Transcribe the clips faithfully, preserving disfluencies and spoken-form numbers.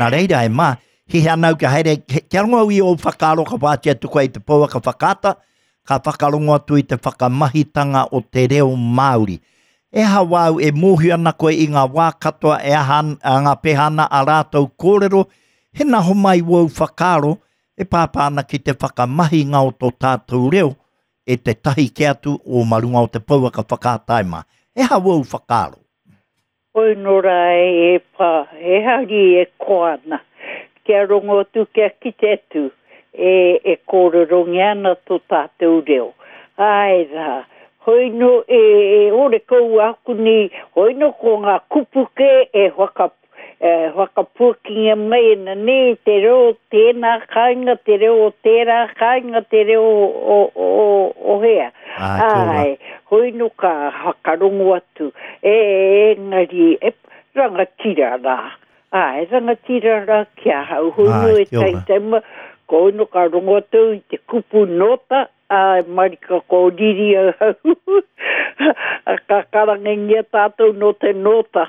Nā reira e mā, hihi ana au kia haere, kia rongo au i ō whakaaro ka wāti atu koe i te pouaka whakaata, ka whakarongo atu i te whakamahitanga o te reo Māori. E aha wāu e mōhio ana koe i ngā wā katoa e aha a ngā peha ana a rātou kōrero, he naho mai wōu whakaaro e pāpā ana ki te whakamahinga o tō tātou reo e te tahi ke atu o marunga o te pouaka whakaata e mā. E aha wōu whakaaro? Oi nō rā e pā, e hari e koana, kia rongo atu, kia kite atu, e, e kōrerongia ana tō tātou reo. Ai rā, hoi no e, e ore kou aku ni, hoi no ko ngā kupu ke e whaka, e whakapuakinga mai ana ne, te reo tēnā kāinga, te reo o tērā kāinga, te reo o, o, o, o hea. Ai, kia ora. Ai, hoi no ka whakarongo atu, e, engari, e, rangatira rā. Ai, rangatira rā ki ahau, hoi no Ai, e kia ora. taitaima, ko hoi no ka rongo atu i te kupu nota, ai, marika ko riri ahau. Ka karangengia tātou no te nota.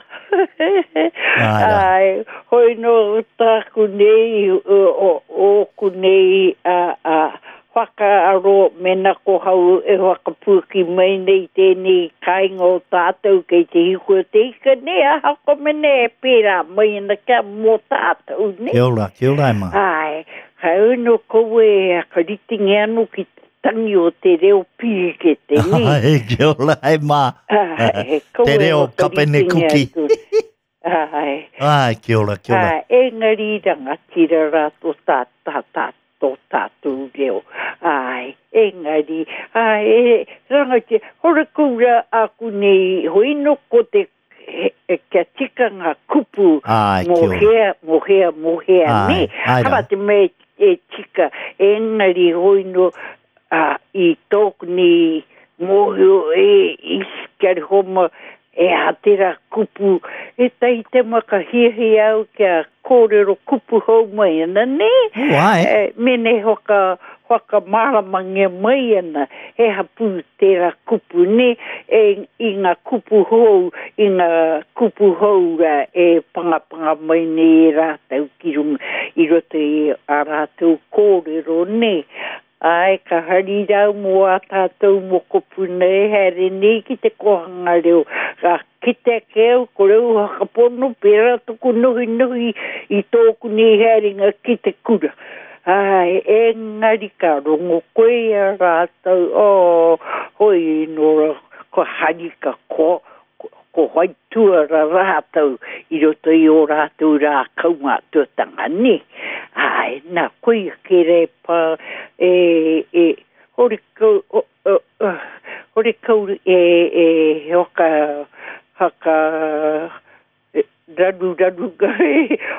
Ai rā. Ai, hoi no tāku nei, o, o, ōku nei, a, a, whakaaro mena ko hau e whakapuaki mai nei tēnei kāinga o tātou kei te hiku o te ika nei, aha ko mene e pērā mai ana kia mō tātou nei. Kia ora, kia ora e mā. Ai, hau no koe e hakaritingi anu ki te tangi o te reo pihikete, ni. Ai, kia ora e mā. Ai, Te koe reo kapene whakaritengi kuki. atu. Ai. Ai, kia ora, kia ora. Ai, engari rangatira rā tō tā, tā, tā, tō tātou reo. Ai, engari, ai, e, rangatira, hore kura aku nei, hoi no ko te, he, e, kia tika ngā kupu Ai, mō kia ora. hea, mō hea, mō hea, Ai, ne? ai rā. Hara te mea e tika, engari hoi no, a, i tōku ni mōhio e i kia homa e a tērā kupu, e tai te maka hiahia au kia kōrero kupu hou mai ana, ne? Oh, ai. E, mene whaka, whakamāramangia mai ana, he hapu tērā kupu, ne? E, i ngā kupu hou, i ngā kupu hou rā, e pangapanga mai nei e rātou ki runga, i roto i a rātou kōrero, ne? Ai, ka hari rau mō a tātou mokopuna e haere nei ki te kohanga reo. Ka kite ake au, ko reo whakapono, pērā tuku nuhi nuhi i tōku nei haerenga ki te kura. Ai, engari ka rongo koe i a rātou, oh, hoi nō ko hari ka ko, ko, ko whaituara rātou i roto i o rātou rā kaumātuatanga, ne? Ai, nā, koia ke re pā, e, e, hore kau, o, o, o, hore kau e, e, haka, haka, e, raru raru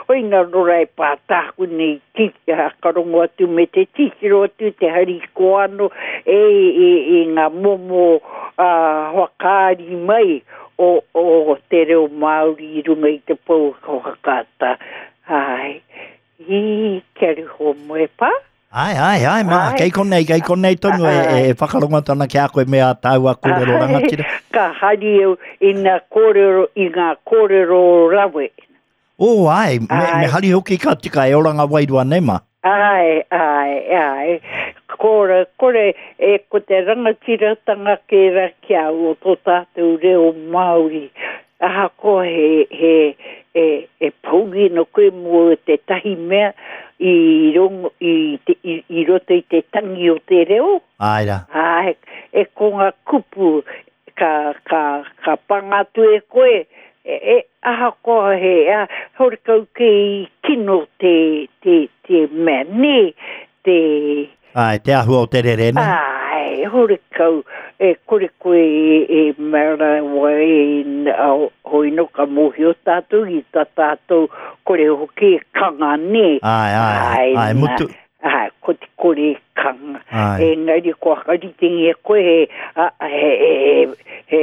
hoi nā rora e pā tāku nei ki hakarongo atu me te titiro atu te hari koano e, e, e ngā momo uh, whakaari mai o, o te reo Māori i runga i te pouaka whakaata. Ai, i kia riho moe pā. Ai, ai, ai, mā, Ai. kei konei, kei konei tonu e, e whakarongo tana ki a koe me a tāua kōrero rangatira. Ka hari au i ngā kōrero, i ngā kōrero rawe. Oh, ai, me, Ai. me hari hoki ka tika e oranga wairua nei mā. Ai, ai, ai. Kore, kore, e ko te rangatiratanga kērā ki au o tō tātou reo Māori. Ahakoa he, he, e, e pouri no koe mō te tahi mea i, rongo, i, te, i, i roto i te tangi o te reo. Ai rā. Ai, e ko ngā kupu ka, ka, ka panga atu e koe, e, e ahakoa he, a, hore kau ke i kino te, te, te mea, ne, te, Ai, te ahua o te rere, ne? ai, hore kau, e kore koe e, e mera wa e, au, hoi no ka mōhio tātou i tā tātou kore hoki e kanga, ne. Ai, ai, ai, na, mutu. Ai, ko te kore e kanga. Ai. Engari ko hakaritengi e koe he, a, he, he, he, he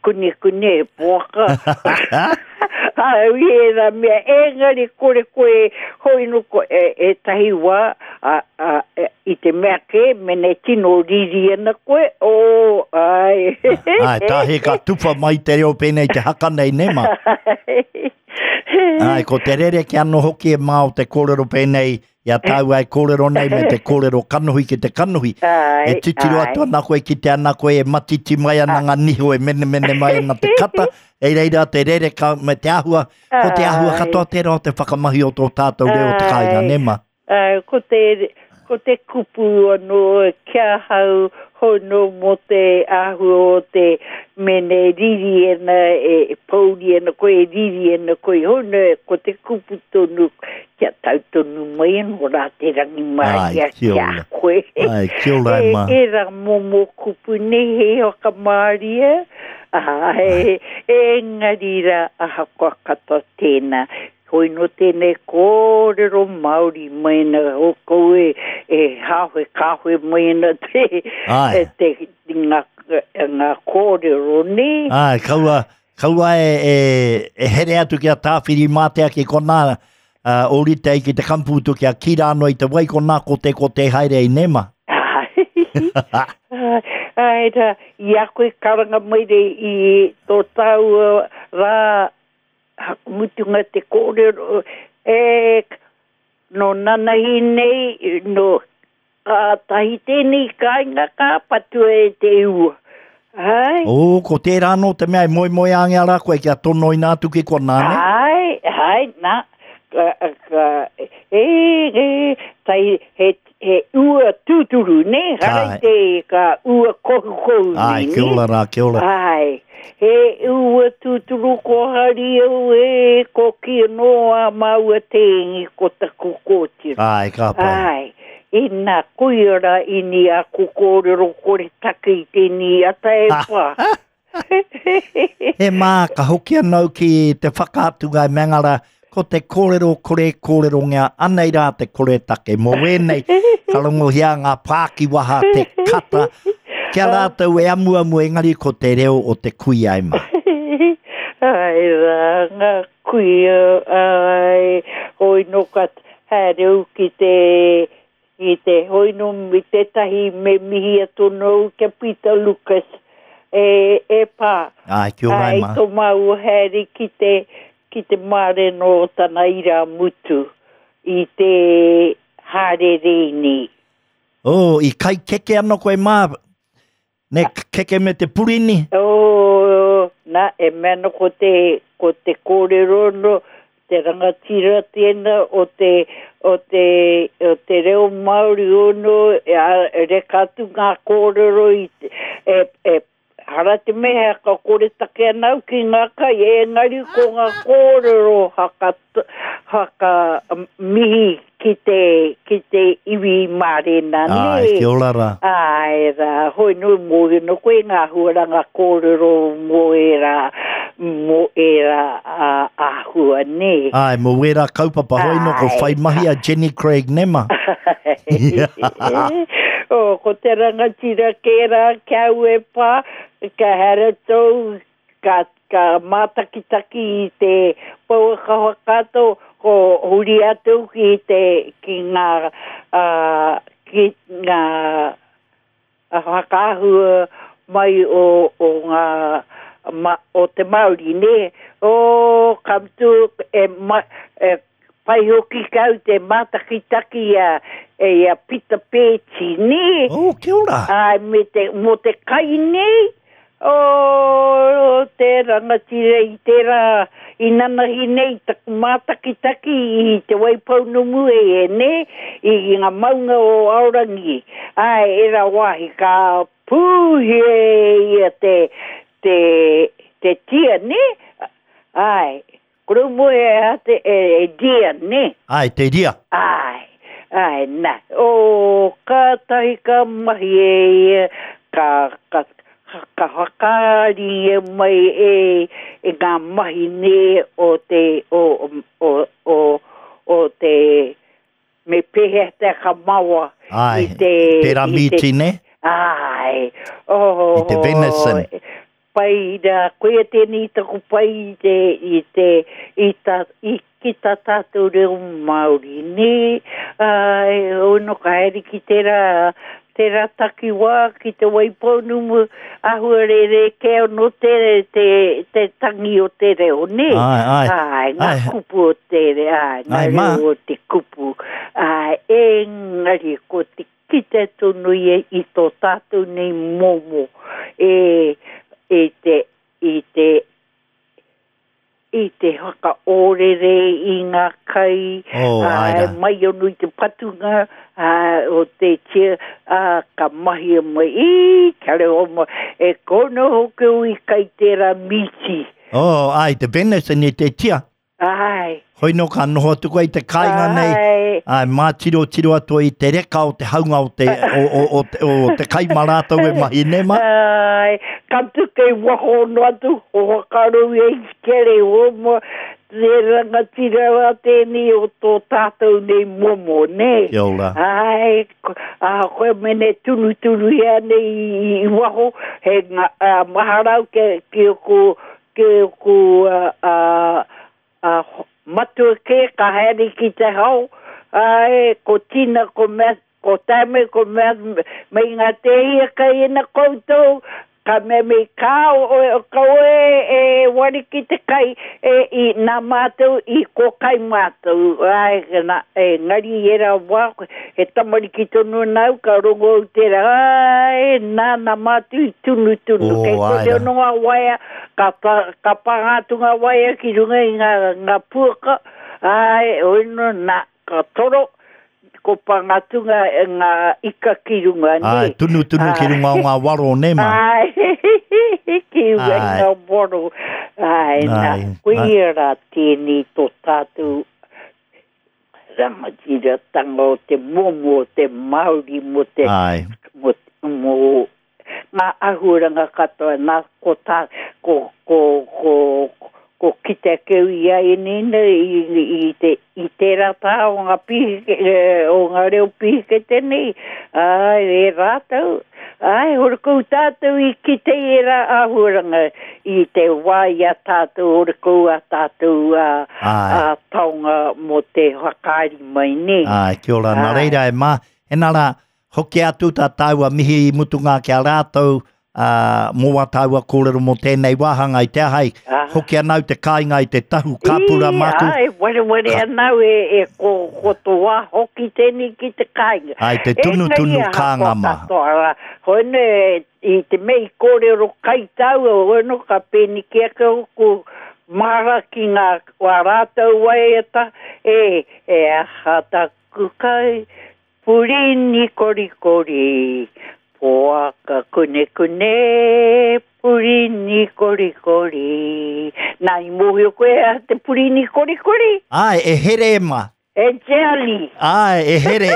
kune kune he poaka. Ai, i e rā mea, engari kore koe, hoi no ko, e, e tahi wā, a, a, e, i te mea ke, mene tino riri ana koe, o, ai. Ai, tāhe ka tupa mai te reo pēnei te haka nei, ne mā? Ai, ko te rere ki anō hoki e mā o te kōrero pēnei, i a tāua e kōrero nei me te kōrero kanohi ki te kanohi. Ai, E titiro ai. atu ana koe ki te ana koe e matiti mai ana ngā niho e menemene mai ana te kata, e reira te rere ka, me te āhua, ko te āhua Ai. katoa tērā o te whakamahi o tō tātou reo o te kāinga, Ai. ne ma? Ai, ko te, ko te kupu anō kia hau hono mō te āhua o te mene riri ana e, e pouri ana koe e riri ana koe hono e ko te kupu tonu kia tau tonu mai anō rā te rangi Ai, māia kia kia ora. koe. Ai, kia ora e E, ma. e rā momo kupu nei he whakamāria, ai, engari rā ahakoa katoa tēnā. Hoi no tēnei kōrero Māori mai ana o koe e hāwe kāwe mai ana te, Ai. e te ngā, ngā kōrero nei. Ai, kaua, kaua e, e, e here atu ki a tāwhiri mātea ki konā, uh, ōrite ai ki te kamputu ki a kira anō i te wai konā ko te ko te haere i nema. Ai, ai rā, i a koe karanga mai re i tō tāua rā mutunga te kōrero, e, no nanahi nei, no ka tahi tēnei kāinga ka patua e te ua. Ai, O, ko tērā anō te mea e moi moi ange ara koe kia tonoina atu ki konā, ne? ai, ai, nā, ka, ka, e, e, tai, he, he ua tūturu, ne? Harai Ai. te ka ua kohukohu Ai, nei, kia ne? ora rā, kia ora. Ai, he ua tūturu ko hari au e, ko ki anō a māua tēngi ko taku kōtiro. Ai, ka pai. Ai, ina koia ini a ku kōrero kore take i tēnei ata e pā. He mā, ka hoki anau ki te whakaatunga e mengara, ko te kōrero kore kōrero ngā, anei rā te kore take. Mō wēnei, ka rongohia ngā pākiwaha te kata, kia rātou e amuamu engari ko te reo o te kuia e mā. Ai rā, ngā kuia, ai, hoi no ka haere au ki te, ki te hoi no mi tētahi me mihi atu nōu kia Peter Lucas e, e pā. Ai, kia ora e Ai, mā. tō māua haere ki te, ki te mārena o tana ira mutu i te hārere nei. Oh, i kai keke anō koe mā, ne keke me te purini. O, nā, e mea no ko te, ko te kōrero no, te rangatira tēnā o te, o te, o te reo Māori ono, e, a, e reka atu ngā kōrero i, te- e, e, hara te mea ka kore take anau ki ngā kai, engari ko ngā kōrero haka, haka um, mihi ki te, ki te iwi mārena, Ai, ne? kia ora rā. Ai rā, hoi nui mōhio no koe ngā huaranga kōrero mō e rā, mō e rā ā, āhua nē. Ai, mō wērā kaupapa hoi no ko Ai. whai mahi a Jenny Craig nema. o, ko te rangatira kērā kia au e pā, ka here tau, ka, ka mātakitaki i te pouaka whakato, ko huri atu ki te, ki ngā, uh, ki ngā whakaahua mai o, o ngā ma, o te Māori, nē. O, ka mutu e, ma, e pai hoki kau te mātakitaki a, e a Pita Pēti, nē. Oh, kia ora. Ai, me te, mō te kai nei, o te rangatira i tērā i nanahi nei taku mātakitaki i te Waipounamu e e nē, i, i ngā maunga o Aorangi. Ai, e rā wāhi ka pūhia e ia te, te, te tia, nē? Ai, koromo e a te, e, e dia, nē? Ai, te ria. Ai, ai, nā. O, ka tahi ka mahi e ia, ka, ka, ka whakaari e mai e, e ngā mahi nē o te, o, o, o, o te, me pēhea te kamawa Ai, i te... tērā i te- mīti, ne? Ai, oh, I te venison. Pai rā, koia tēnei taku pai i te, i te, i ta, i ki tā tātou reo Māori, nē, ai, ono ka haere ki tērā, tērā takiwā ki te Waipounamu, āhua rerekē anō te, te, te tangi o te reo, nē? Ai, ai. Ai, ngā Ai. kupu o te reo, ai, ngā Ai, mā. reo o te kupu. Ai, engari ko te kite tonu ia i tō tātou nei momo e, e te, i te, i te whakaōrere i ngā kai, Oh, ai ā, rā. mai anō i te patunga, ā, o te tia, ā, ka mahia mai, i, kia reo mai, e kono hoki au i kai tērā mīti. Oh, ai, te venison i te tia. Ai, Hoi no ka noho atu koe i te kāinga nei. ai, Ai, mā tiro tiro atu i te reka o te haunga o te, o, o, o, te, o te kai mā rātou e mahi nei ma. Ai, ka tu kei waho no atu, o whakaaro i ei kere o mo, te rangatira rā tēnei o tō tātou nei momo, nē. Kia ora. Ai, ko- a koe mene tunu tunu ia nei i, i waho, he ngā, a, maharau ke, ki o ku, ki o ku, a, a, a, matua ke ka haere ki te hao, ai, ko tina, ko mea, ko tame, ko mea, me ngā te ia kai ina koutou, ka mea me kā o, o, ka oe e wari ki te kai, e, i nā mātou, i ko kai mātou, ai, na, e, ngari i era wā, he tamariki tonu nau, ka rongo au tērā, ai, nā, nā mātou i tunu tunu, Oh, kei ai ko te rā. ono ngā waea, ka, pa, ka pānga atu ngā waea ki runga i ngā, ngā puaka, ai, oino, nā, ka toro, ko pānga atu ngā, ngā ika ki runga, nē. Ai, tunu tunu ki runga o ngā waro nei ma. Ai, ki runga i Ai. ngā waro. Ai, nā, Ai, koia rā tēnei tō tātou rangatiratanga o te momo o te Māori mo te Ai, mo, mo ngā āhuaranga katoa nā ko tā ko ko ko ko kite keu i a enina i, i, i te i tērā tā o ngā pihike, eh, o ngā reo pihikete nei ai e rātou ai hora kou tātou i kite i era āhuaranga i te wā i a tātou hora kou a tātou a, Ai. a taonga mō te whakaari mai nei. ai, kia ora. Nā Ai. reira e mā, he nā rā, hoki atu tā tāua mihi i mutunga ki a rātou, ā, mō wā tāua kōrero mō tēnei wāhanga i te ahai. Ah. Hoki anau te kāinga i te tahu kāpura I, māku. Ai, wareware anau e, e ko, ko tō wā hoki tēnei ki te kāinga. Ai, te tunu Engari tunu ahakoa kānga mā. katoa rā, Hoi i te mei kōrero kai tāua, hoi no ka pēni ki ake o ko mara ki ngā wā rātou waiata, e, e aha taku kai, purini korikori, poaka kune kune, purini korikori. Nā, i mōhio koe a te purini korikori? Ai, e here e mā. E jelly. Ai, e here.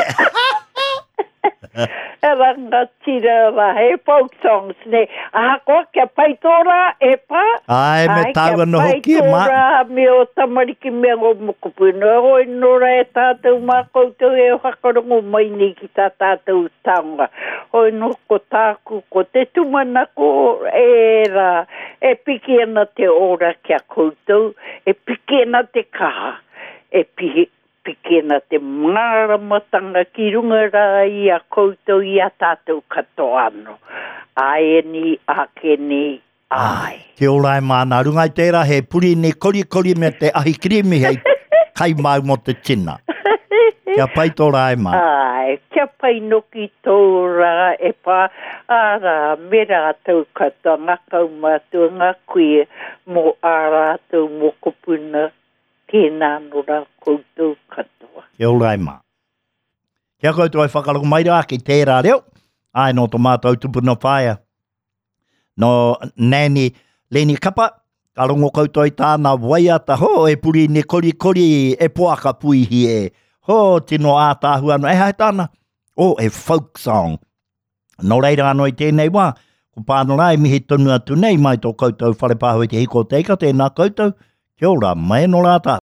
E rangatira rā, he folk songs, ne. Ahakoa kia pai tō rā, e pā. Ai, me Ai, tāua kia no pai hoki e tō mā. rā, me o tamariki me o mokopuna. Hoi nō rā e tātou mā koutou e whakarongo mai nei ki tā tātou taonga. Hoi nō ko tāku, ko te tūmanako e rā, e piki ana te ora kia koutou, e piki ana te kaha, e pihi, piki ana te māramatanga ki runga rā i a koutou i a tātou katoa anō. Ai ni, ake ni, ai. Kia ora e mā, nā runga i tērā he purini korikori me te ahi kirimi hei kai mau mō te tina. Kia pai tō rā e mā. Ai, kia pai noki tō rā e pā, ārā, me rātou katoa, ngā kaumātua, ngā kuia, mō ā rātou mokopuna, tēnā nō rā koutou katoa. Kia ora e mā. Kia koutou e whakarongo mai rā ki tērā reo. Ai, nō tō mātou tupuna whaea. Nō Nanny Leni Kapa, ka rongo koutou i tāna waiata, ho, e purini korikori, e poaka puihi e. Ho, tino ātāhua anō. E hai tāna, o, e folk song. Nō reira anō i tēnei wā, ko pāno rā e mihi tonu atu nei mai tō koutou whare pāho i te hiko te ika, tēnā koutou, kia ora, mai nō rā tātou.